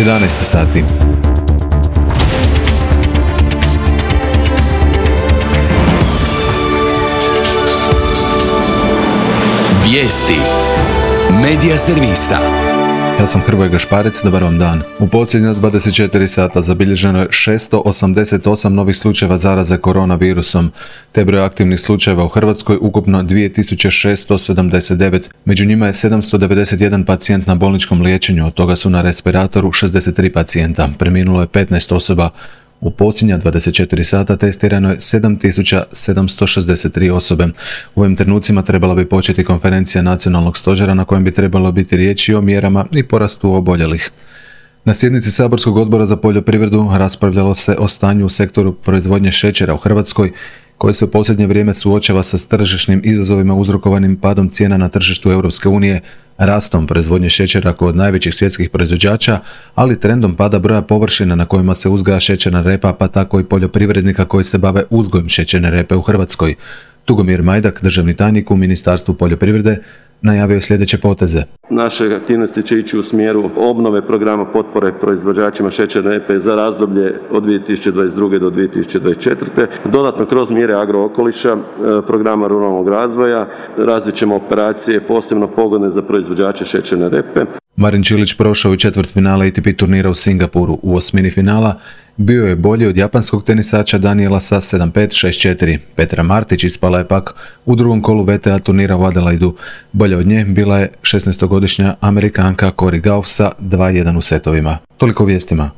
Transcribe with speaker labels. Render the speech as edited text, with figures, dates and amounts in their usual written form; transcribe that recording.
Speaker 1: 11 sati.
Speaker 2: Vijesti Medija servisa.
Speaker 1: Ja sam Hrvoje Gašparec, dobar vam dan. U posljednja 24 sata zabilježeno je 688 novih slučajeva zaraze koronavirusom, te broj aktivnih slučajeva u Hrvatskoj ukupno 2679. Među njima je 791 pacijent na bolničkom liječenju, od toga su na respiratoru 63 pacijenta. Preminulo je 15 osoba. U posljednja 24 sata testirano je 7763 osobe. U ovim trenucima trebala bi početi konferencija nacionalnog stožera na kojem bi trebalo biti riječi o mjerama i porastu oboljelih. Na sjednici Saborskog odbora za poljoprivredu raspravljalo se o stanju u sektoru proizvodnje šećera u Hrvatskoj, koji se u posljednje vrijeme suočava sa tržišnim izazovima uzrokovanim padom cijena na tržištu Europske unije, rastom proizvodnje šećera kod najvećih svjetskih proizvođača, ali trendom pada broja površina na kojima se uzgaja šećerna repa, pa tako i poljoprivrednika koji se bave uzgojem šećerne repe u Hrvatskoj. Tugomir Majdak, državni tajnik u Ministarstvu poljoprivrede, najavio je sljedeće poteze.
Speaker 3: Naše aktivnosti će ići u smjeru obnove programa potpore proizvođačima šećerne repe za razdoblje od 2022. do 2024. Dodatno kroz mjere agrookoliša, programa ruralnog razvoja, razvit ćemo operacije posebno pogodne za proizvođače šećerne repe.
Speaker 1: Marin Čilić prošao u četvrtfinale ATP turnira u Singapuru. U osmini finala bio je bolji od japanskog tenisača Danielasa 7-5, 6-4. Petra Martić ispala je pak u drugom kolu WTA turnira u Adelaidu. Bolja od nje bila je 16-godišnja Amerikanka Cory Gauff sa 2-1 u setovima. Toliko vijestima.